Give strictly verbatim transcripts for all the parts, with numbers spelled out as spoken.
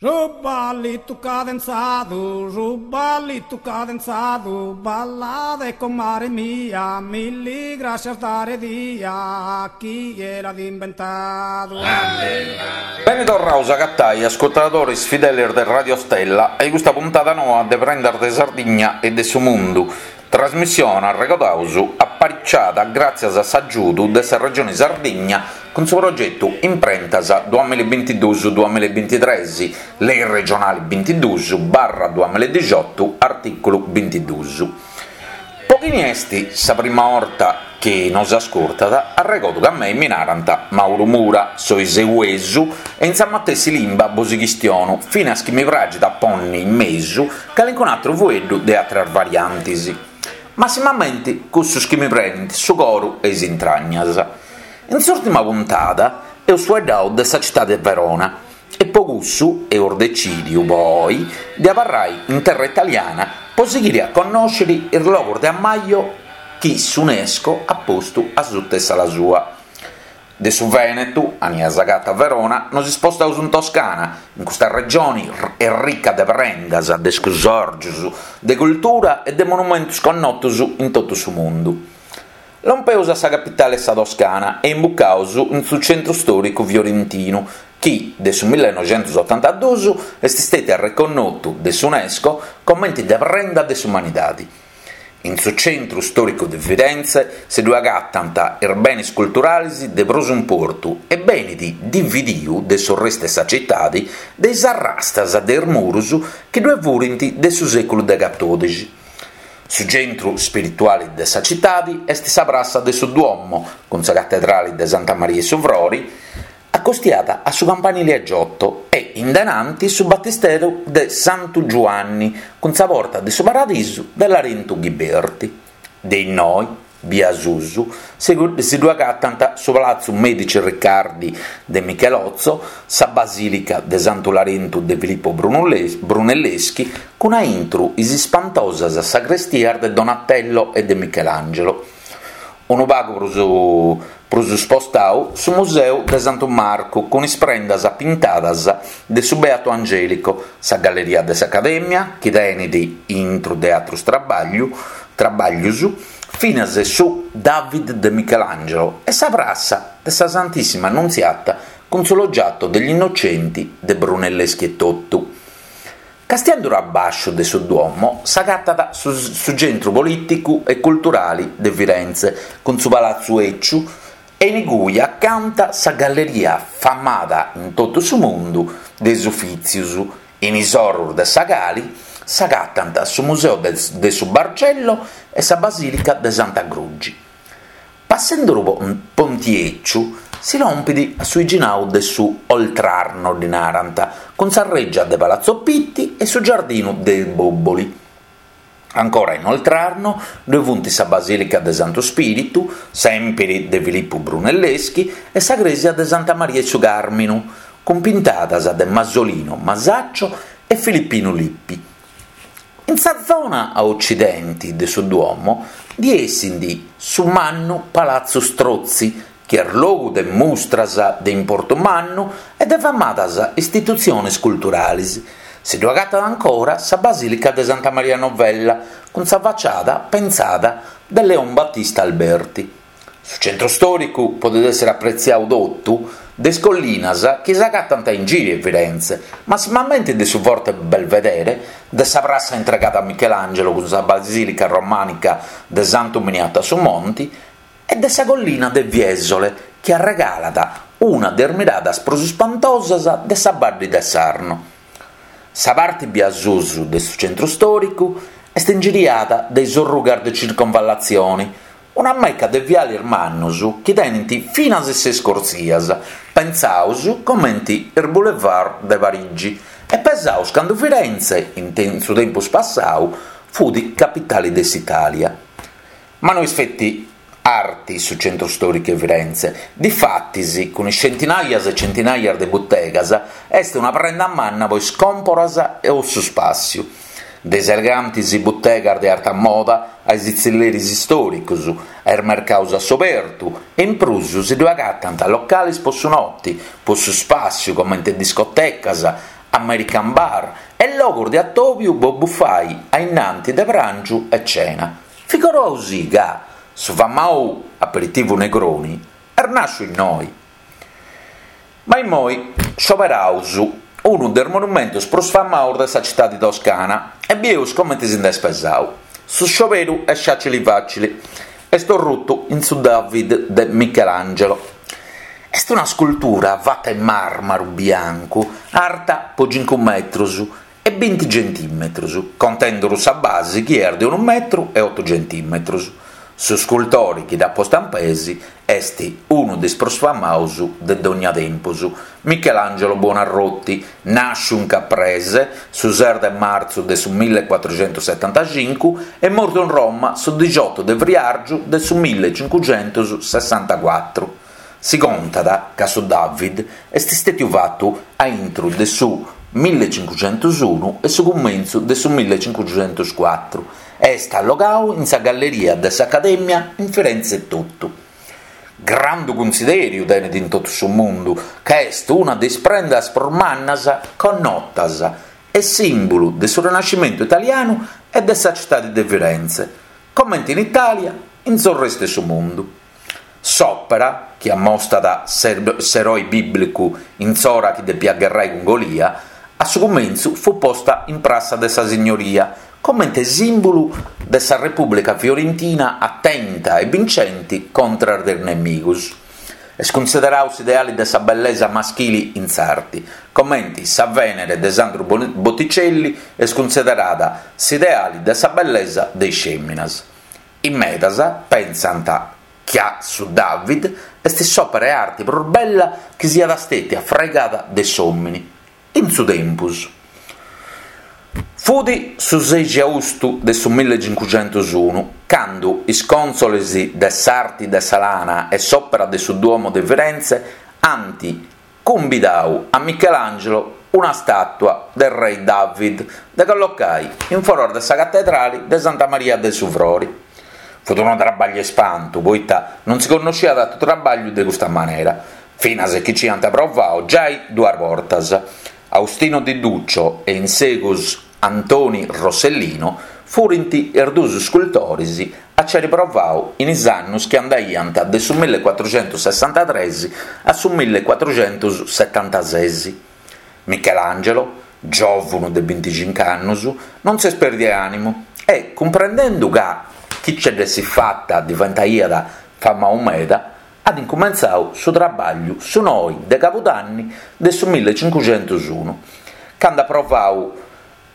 Su ballitu cadenzadu, su ballitu cadenzadu, ballade comare mia, milli grascias dare dia, chie l'at imbentadu. Beni torraus a agatai, ascurtadoris fidelis de Radio Stella, a custa puntada noa de Prendas de Sardigna e de su Mundu, trasmissione, arregodaus, apariciada gràtzias a s'agiudu de sa Regione Sardigna cun su progetu Imprentas duamilla e bintiduus duamilla e bintitres, Lei regionali bintiduus barra duamilla e dixiotu, artìculu bintiduus. Po chini est sa prima 'orta chi nos ascurtat, arregodu ca a mei mi narant Mauru Mura, soi seuesu e in sa matessi limba bos chistiono, finas chi mi praxit a ponni in mesu calincun'atru fueddu de atras variantis. Massimamenti cussus chi mi prenint su coru e is intragnas. In s'ùrtima puntada eus fueddau de sa citadi de Verona e po cussu eus decìdiu po oi de abarrai in terra italiana po sighiri a connòsciri is logus de ammaju chi s'UNESCO at postu a suta 'e s'ala sua. De su Veneto, ania s'agatat Verona, nos ispostaus in Toscana, in custa regioni est ricca de prendas, de scusòrgios, de cultura e de monumentos connotos in totu su mundu. Lompeus a sa capitale 'e sa Toscana e imbucaus in su centru stòricu fiorentinu, chi de su millenoixentosotantaduus est stètiu arreconnotu de s'UNESCO comente de prenda de s'umanidade. In su centru stòricu de Firenze si ddu agatant is benes culturales de prus importu e benit dividiu de su restu 'e sa citade de is arrastas de is muros chi ddue furint de su sèculu de catòdixi. Su centru spirituale de sa citade est sa prassa de su Duomo, cun sa catedrale de Santa Maria 'e su Frore, acostiada a su campanile a Giotto e in denanti su battisteru de Santu Giuanni cun sa porta de su Paradisu de Larentu Ghiberti. De innoi, bia susu, si ddu agatant su Palazzo Medici Riccardi de Michelozzo, sa Basìlica de Santu Larentu de Filippo Brunelleschi cun a intro is ispantosas sagrestias de Donatello e de Michelangelo. Unu pagu prus prus spostau su Museu de Santu Marcu cun is prendas pintadas de su Beato Angelico, sa Galleria de s'Accademia, chi tenet intro de atrus trabagliu, trabaglius, finas su David de Michelangelo e sa prassa de sa Santissima Annunziata cun su Loggiato degli Innocenti de Brunelleschi etotu. Castianduru a basciu de su Duomo s'agatat su, su centru polìticu e culturale de Firenze cun su Palazzo Ecciu e in cui acanta sa galleria famada in totu su mundu de is Ufìtzios, in is orros de sa cali s'agatant su Museu de, de su Bargello e sa Basìlica de Santa Grugi. Passenduru Ponti Ecciu si lompit a su 'iginau de su Oltrarno, ddi narant, cun sa reggia de Palazzo Pitti e su giardinu dei Boboli. Ancora in Oltrarno ddue funt sa Basìlica de Santu Spiritu, sèmpiri de Filippo Brunelleschi, e sa Crèsia de Santa Maria 'e su Càrminu, cun pintadas de Masolino, Masaccio e Filippino Lippi. In sa zona a occidente de su Duomo di essint su mannu Palazzo Strozzi, chi est logu de mustras de importu mannu e de famadas istitutziones culturales. Si ddu agatat ancora sa Basìlica de Santa Maria Novella, cun sa facciada pensada de Leon Battista Alberti. Su centru stòricu podet èssere apretziadu totu de is collinas chi s'agatant in giri 'e Firenze, massimamente de su Forte Belvedere, de sa prassa intregada a Michelangelo cun sa Basìlica Romànica de Santu Miniato a su Monti e de sa collina de Fiesole, chi arregalat una de is miradas prus ispantosas de sa Badde de Sarno. Sa parte bia susu de su centru stòricu est ingiriada de is orrugas de circonvallazione, una mecca de viales mannos chi tenent finas ses corsias, pensaus comente is boulevard de Parigi, e pesaus cando Firenze, in su tempus passau, fut capitale de s'Italia. Ma no est feti arti su centru stòricu 'e Firenze, difatis, cun is centinaias e centinaias de butegas, est una prenda manna po is còmporas e o su spàssiu. De is elegantes butegas de arta moda a is tzilleris istòricos, a is mercados a s'obertu e in prus si ddu agatant locales po su notte, po su spàssiu comente discotecas, American bar e logus de atobiu po bufai a innanti de prangiu e cena. Figurausì ca su famau aperitivu Negroni est nasciu innoi. Ma immoi scioberaus unu de is monumentus prus famaus de sa citadi toscana e bieus comenti si nd'est pesau. Su scioberu est facili facili, est orrutu in su David de Michelangelo. Est una scultura fata in màrmaru biancu, arta po cincu metrus e binti centimetrus, contenduru sa basi chi est de unu metru e otu centimetrus. Su scultori chi dd'at posta in peis est unu de is prus famaus de dogna tempus, Michelangelo Buonarroti, nàsciu in Caprese su ses de martzu de su millecuatruxentussetantacincu e mortu in Roma su dixiotu de friàrgiu de su millecincuxentussessantacuatru. Si contat ca su David est stètiu fatu a intru de su millecincuxentusunu e su cumentzu de su millecincuxentuscuatru e est allogau in sa Galleria de s'Acadèmia in Firenze etotu. Grandu cunsidèriu tenet in totu su mundu ca est una de is prendas prus mannas connotas e sìmbulu de su Renascimentu italianu e de sa citadi de Firenze, comente in Itàlia in s'orrestu 'e su mundu. S'òpera, chi ammostat s'eroe bìblicu in s'ora chi depiat gherrai cun Golia, a su cumentzu fut posta in Prassa de sa Signoria, comente sìmbulu de sa Repùblica Fiorentina atenta e bincenti contras de is nemigus. Est cunsiderau s'ideali de sa bellesa maschili in s'arti, comenti sa Vènere de Sandru Botticelli est cunsiderada s'ideali de sa bellesa de is fèminas. In medas pensant ca su David est s'òpera 'e arti prus bella chi siat stètia fraigada de s'òmini in su tempus. Fut su sexi austu de su millecincuxentusunu, candu is cònsoles de s'arti de sa lana e s'òpera de su Duomo de Firenze ant cumbidau a Michelangelo una stàtua de rei David de collocai in foras de sa catedrali de Santa Maria de su Frori. Fut unu trabagliu 'e spantu, poita non si connosciat atru trabagliu de custa manera, finas chi ci iant provau giai duas bortas. Austino di Duccio e in segus Antoni Rossellino furint is duus scultoris a ci àiri provau in is annus chi andaiant de su millecuatruxentussessantatres a su millecuatruxentussetantases. Michelangelo, giòvunu de binticincu annus, non s'est pèrdiu 'e ànimu e, cumprendendu ca chi ce dd'essit fata diventaiat famau meda, at incumentzau su trabagliu su noi de cabudanni de su millecincuxentusunu, candu at provau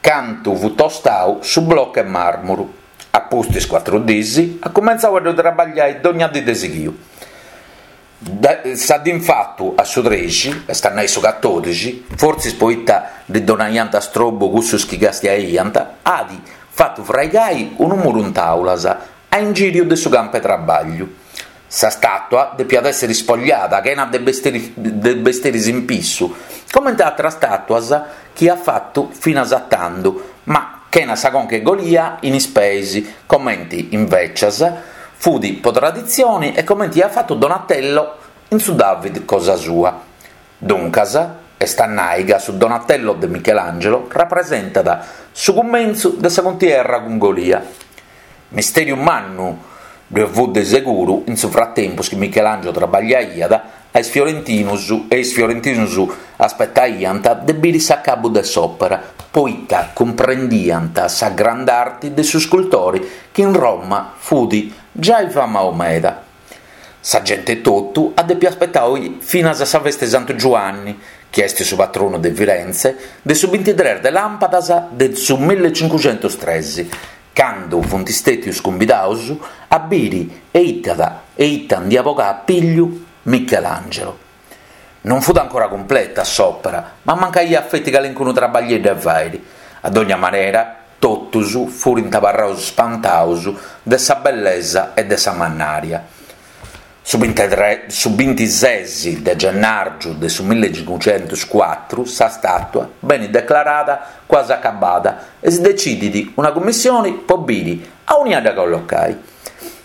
cantu fut tostau su blocu 'e màrmuru. A pustis cuatru dis at cumentzau a ddu trabagliai dogna dì de sighiu. Sa dì infatu a su trexi, est a nai su catòdixi, fortzis poita ddi donaiant strobu cussus chi castiaiant, at fatu fraigai unu muru in tàulas a ingìriu de su campu 'e trabagliu. Sa stàtua depiat èssere ispogliada chena de de bestiris in pissu, comente àteras stàtuas chi iat fatu finas a tando, ma chena sa conca 'e Golia in is peis, comente invècias fut po traditzione e comente iat fatu Donatello in su David cosa sua. Duncas, est a nai ca su Donatello de Michelangelo rapresentat su cumentzu de sa cuntierra cun Golia. Mistèriu mannu ddue fut de seguru in su fratempus chi Michelangelo trabagliaiat a is fiorentinus e is fiorentinus aspetaiant de biri s'acabu de s'òpera, poita cumprendiant sa grand'arti de su scultori chi in Roma fut giai famau meda. Sa gente totu at dèpiu aspetai finas a sa festa 'e Santu Giuanni, chi est su patronu de Firenze, de su bintitres de làmpadas de su millecincuxentustres, candu funt stètius cumbidaus a biri e ita e ita nd'iat bogau a pigliu Michelangelo. Non fut ancora cumpleta s'òpera, ma mancaiat feti calincunu trabaglieddu 'e fàiri. A dogna manera, totus furint abarraus spantaus de sa bellesa e de sa mannària. Su su bintises de gennàrgiu de su millecincuxentuscuatru sa stàtua benit declarada quasi acabada e si decidit una cummissione po biri aunia dda collocai.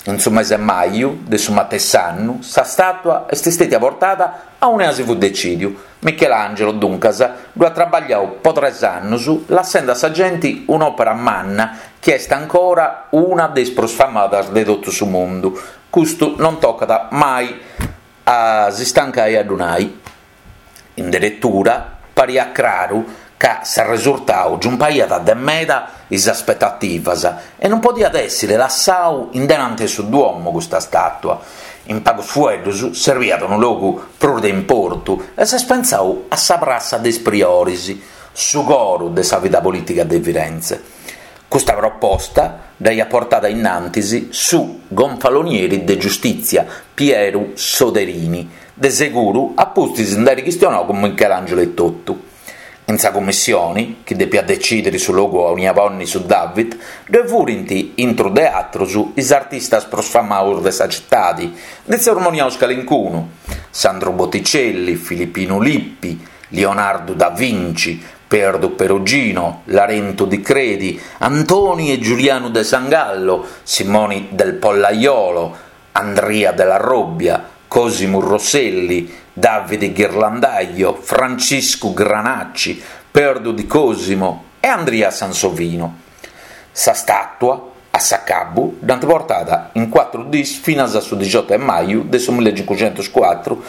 In su mese 'e maju de su matessi annu sa stàtua est stètia portada aunia si fut decìdiu, Michelangelo, duncas, ddu at trabagliau po tres annus, lassende a sa genti un'òpera manna chi est ancora una de is prus famadas de totu su mundu. Custu non tocat mai a si stancai a ddu nai. In deretura pariat craru ca s'arresurtau giumpaiat de meda is aspetativas e non podiat èssere lassau in denante su Duomo custa stàtua. In pagus fueddus serviat unu logu prus de importu e s'est pensau a sa Prassa de is Prioris, su coru de sa vida polìtica de Firenze. Custa proposta dd'aiat portada innantis su gonfalonieri de giustìtzia Pieru Soderini, de seguru a pustis nd'àere chistionau cun Michelangelo etotu. In sa cummissione, chi depiat detzìdere su logu aunia ponni su David, ddoe furint, intru de atrus, is artistas prus famaus de sa citadi, ndi tzermoniaus calincunu, Sandru Botticelli, Filippinu Lippi, Lionardu da Vinci, Perdu Perugino, Larentu di Credi, Antoni e Giulianu de Sangallo, Simoni del Pollaiolo, Andria della Robbia, Cosimu Rosselli, Davide Ghirlandaio, Franciscu Granacci, Perdu di Cosimo e Andria Sansovino. Sa stàtua, a s'acabu, dd'ant portada in cuatru dis finas a su diciotto de maju de su millecincuxentuscuatru,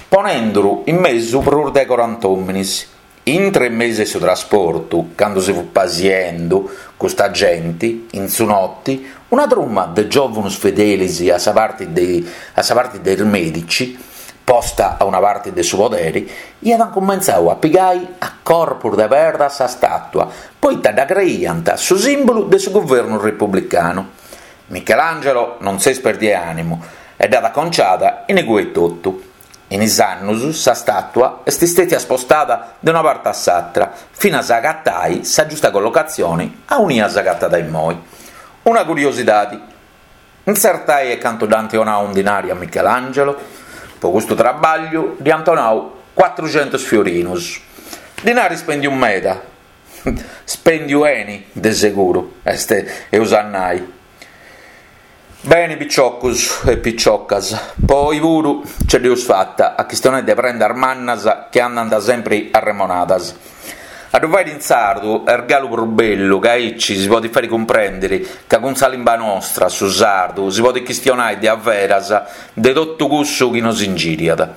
ponenduru in mesu prus de corant'òminis. Intre mesu 'e su trasportu, candu si fut pasiendu custa genti, in su noti, una truma de giòvunus fedelis a sa parti de a sa parti de is Medici, posta a una parti de su poderi, iat cumentzau a pigai a corpus de perda sa stàtua, poita dda creiant su sìmbulu de su guvernu republicanu. Michelangelo non s'est pèrdiu 'e ànimu e dd'at aconciada in igue etotu. In is annus sa stàtua est stètia spostada de una parti a s'atra, finas a agatai sa giusta collocatzioni aunia s'agatat immoi. Una curiosidadi, intzertai e cantu dd'ant 'onau in dinari a Michelangelo? Po custu trabagliu ddi ant 'onau cuatruxentus fiorinus. Dinari spendiu meda. Spendiu 'eni, de seguru, est eus a nai. Beni piciocus e piciocas, po oi puru ce dd'eus fata a chistionai de prendas mannas chi andant sempri arremonadas. A ddu fàere in sardu est galu prus bellu ca aici si podit fàere cumprèndere ca cun sa limba nostra, su sardu, si podit chistionai de averas de totu cussu chi nos ingìriat.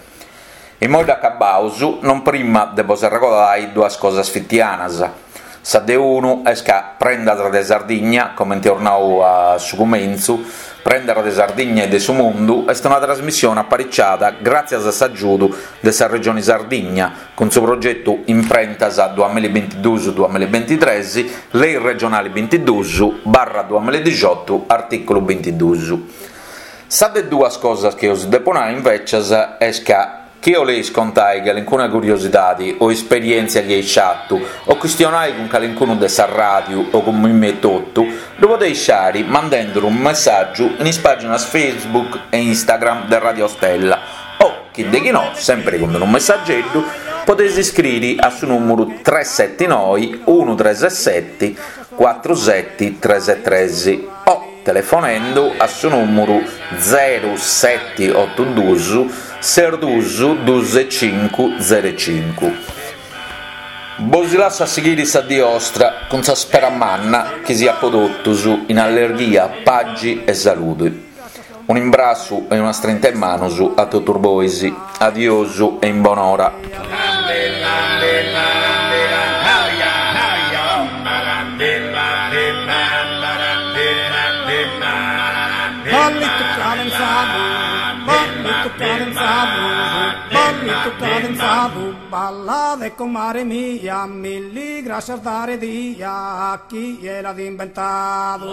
Immoi dd'acabaus, non prima de bos arregodai duas cosas fitianas. Sa de unu est ca Prendas de Sardigna, comente eus nau a su cumentzu, Prendas de Sardigna e de su Mundu est una trasmissione apariciada gràtzias a s'agiudu de sa Regione Sardigna cun su progetu Imprentas duamillabintiduus duamillabintitres, Lei regionale bintiduus barra duamilladixotu artìculu bintiduus. Sa de duas cosas chi os depo nai invècias est ca chi 'oleis contai calincuna curiosidadi o esperièntzia chi eis fatu o chistionai cun calincunu de sa ràdiu o cun mimmi etotu, ddu podeis fari mandenduru unu messàgiu in is pàginas Facebook e Instagram de Radio Stella o, chi de chi no, sèmpiri cun unu messageddu, podeis iscriri a su nùmuru tres seti noi unu tres seti cuatru seti tres tres o telefonendu a su nùmuru zeru seti otu duus ses duus duus e cincu zeru e cincu. Bos lasso a sighire sa die 'ostra cun sa spera manna chi siat po totus in allerghia, pagi e salude. Un'imbrassu e una strinta 'e manos a totus bois. Adiosu e in bonora. Ballitu cadenzadu, ballitu cadenzadu, ballitu cadenzadu, ballade comare mia, milli grascias dare dia a chie l'at imbentadu.